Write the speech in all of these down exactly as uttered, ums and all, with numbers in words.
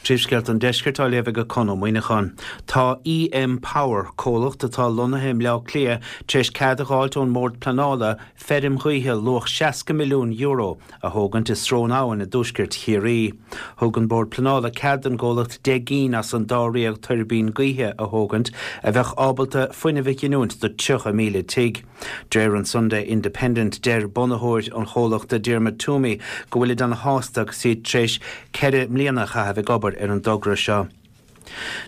Príomhscéalta an Deiscirt á léamh ag Conn Ó Muíneacháin. Tá EM Power comhlacht atá lonnaithe i mBleá Cliath tar éis cead a fháilt ón mBord Pleanála feirm ghaoithe luach seasca milliún euro a thógaint i Srón Abhann i dtuaisceart Chiarraí. Thug an Bord Pleanála cead don gcomhlacht deich gcinn as an dáréag tuirbín gaoithe a thógaint a bheadh ábalta fuinneamh a ghiniúint do tríocha míle tigh. Deir an Sunday Independent deir bunaitheoir an chomhlachta Diarmuid Toomey go bhfuil an-sásta agus iad tar éis ceithre bliana a chaitheamh ag obair ar an dtogra seo.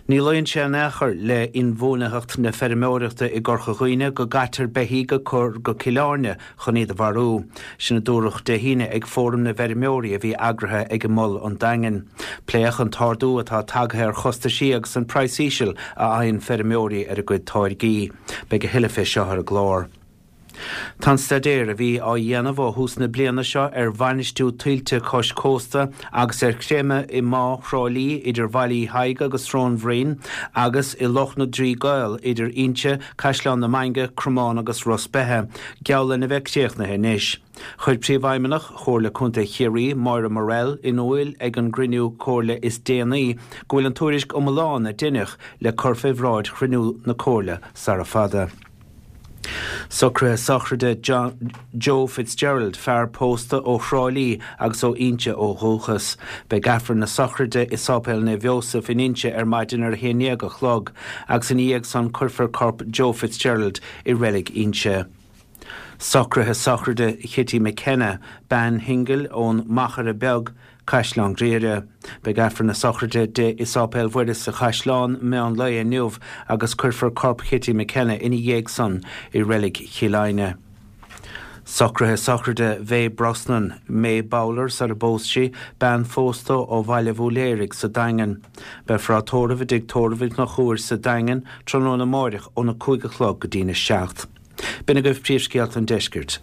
Ní luíonn sé in aon chor le inbhuanaitheacht na feirmeoireachta i gCorca Dhuibhne go gcaitear beithígh a chur go Cill Airne chun iad a mharú. Sin a dúradh Dé hAoine ag fóram na bhfeirmeoirí a bhí eagraithe ag an Mol an Daingean. Pléadh an t-ardú atá tagtha ar chostaisí agus an praghas íseal a fhaigheann feirmeoirí ar a gcuid táirgí. Beidh a thuilleadh fé seo ar an gclár. Tá an staidéar a bhí á dhéanamh ó thús na bliana seo ar bhainistiú tuilte cois cósta agus ar chreimeadh i mBá Thrá Lí idir Bhaile Uí Thaidhg agus Srón Bhroin agus i Loch na dTrí gCaol idir Inse, Caisleán na Mainge, Cromán agus Ros Beithe, geall lena bheith críochnaithe anois. Chuir Príomhfheidhmeannach Chomhairle Contae Chiarraí, Máire Morrell, in iúl ag an gcruinniú comhairle is déanaí go bhfuil an tuairisc iomlán a deineadh le cur fé bhráid chruinniú na comhairle sara fada. Socruithe sochraide John, Joe Fitzgerald, fear pósta ó Thrá Lí agus ó Inse ó dhúchas. Beidh Aifreann na sochraide i Sáipéal Naomh Joseph in Inse ar maidin ar a haon déag a chlog, agus ina dhiaidh san cuirfear corp Joe Fitzgerald i reilig Inse. Socruithe sochraide Kitty McKenna, bean shingil ón Machaire Beag, Caisleán Ghriaire. Beidh Aifreann na sochraide di i Sáipéal Mhuire sa Chaisleán meán lae inniu agus cuirfear corp Kitty McKenna ina dhiaidh san i reilig Chill Airne. Socruithe sochraide Mhay Brosnan, May Bowler sar a bpós sí, bean phósta ó Bhaile Bhúléirigh sa Daingean. Beifear á tórramh i dtigh tórraimh Uí Chonchúir sa Daingean tráthnóna amárach óna cúig a chlog go dtína seacht. B'in agaibh príomhscéalta an deiscirt.